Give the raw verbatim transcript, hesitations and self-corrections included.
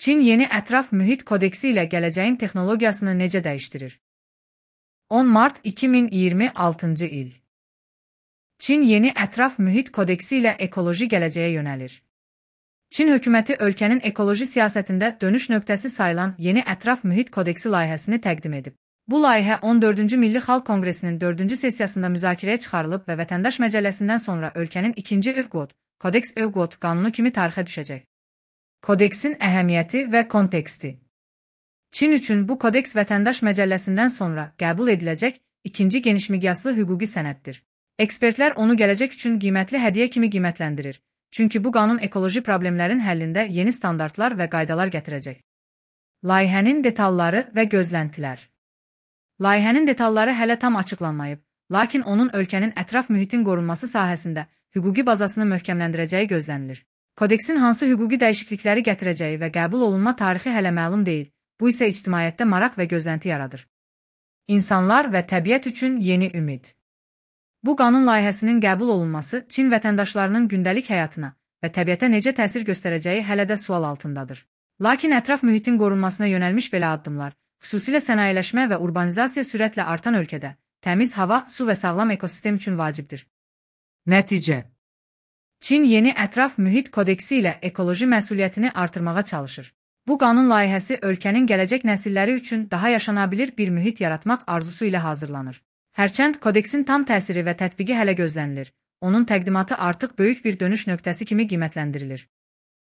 Çin yeni ətraf mühit kodeksi ilə gələcəyin texnologiyasını necə dəyişdirir? on mart iki min iyirmi altıncı il. Çin yeni ətraf mühit kodeksi ilə ekoloji gələcəyə yönəlir. Çin hökuməti ölkənin ekoloji siyasətində dönüş nöqtəsi sayılan yeni ətraf mühit kodeksi layihəsini təqdim edib. Bu layihə on dördüncü Milli Xalq Konqresinin dördüncü sessiyasında müzakirəyə çıxarılıb və Vətəndaş Məcəlləsindən sonra ölkənin ikinci ÖVQOT, Kodeks ÖVQOT qanunu kimi tarixə düşəcək. Kodeksin əhəmiyyəti və konteksti. Çin üçün bu kodeks Vətəndaş Məcəlləsindən sonra qəbul ediləcək ikinci genişmiqyaslı hüquqi sənəddir. Ekspertlər onu gələcək üçün qiymətli hədiyyə kimi qiymətləndirir. Çünki bu qanun ekoloji problemlərin həllində yeni standartlar və qaydalar gətirəcək. Layihənin detalları və gözləntilər. Layihənin detalları hələ tam açıqlanmayıb, lakin onun ölkənin ətraf mühitin qorunması sahəsində hüquqi bazasını möhkəmləndirəcəyi gözlənilir. Kodeksin hansı hüquqi dəyişiklikləri gətirəcəyi və qəbul olunma tarixi hələ məlum deyil, bu isə ictimaiyyətdə maraq və gözlənti yaradır. İnsanlar və təbiət üçün yeni ümid. Bu qanun layihəsinin qəbul olunması Çin vətəndaşlarının gündəlik həyatına və təbiətə necə təsir göstərəcəyi hələ də sual altındadır. Lakin ətraf mühitin qorunmasına yönəlmiş belə addımlar, xüsusilə sənayeləşmə və urbanizasiya sürətlə artan ölkədə, təmiz hava, su və sağlam ekosistem üçün vacibdir. Nəticə. Çin yeni ətraf mühit kodeksi ilə ekoloji məsuliyyətini artırmağa çalışır. Bu qanun layihəsi ölkənin gələcək nəsilləri üçün daha yaşanabilir bir mühit yaratmaq arzusu ilə hazırlanır. Hərçənd kodeksin tam təsiri və tətbiqi hələ gözlənilir, onun təqdimatı artıq böyük bir dönüş nöqtəsi kimi qiymətləndirilir.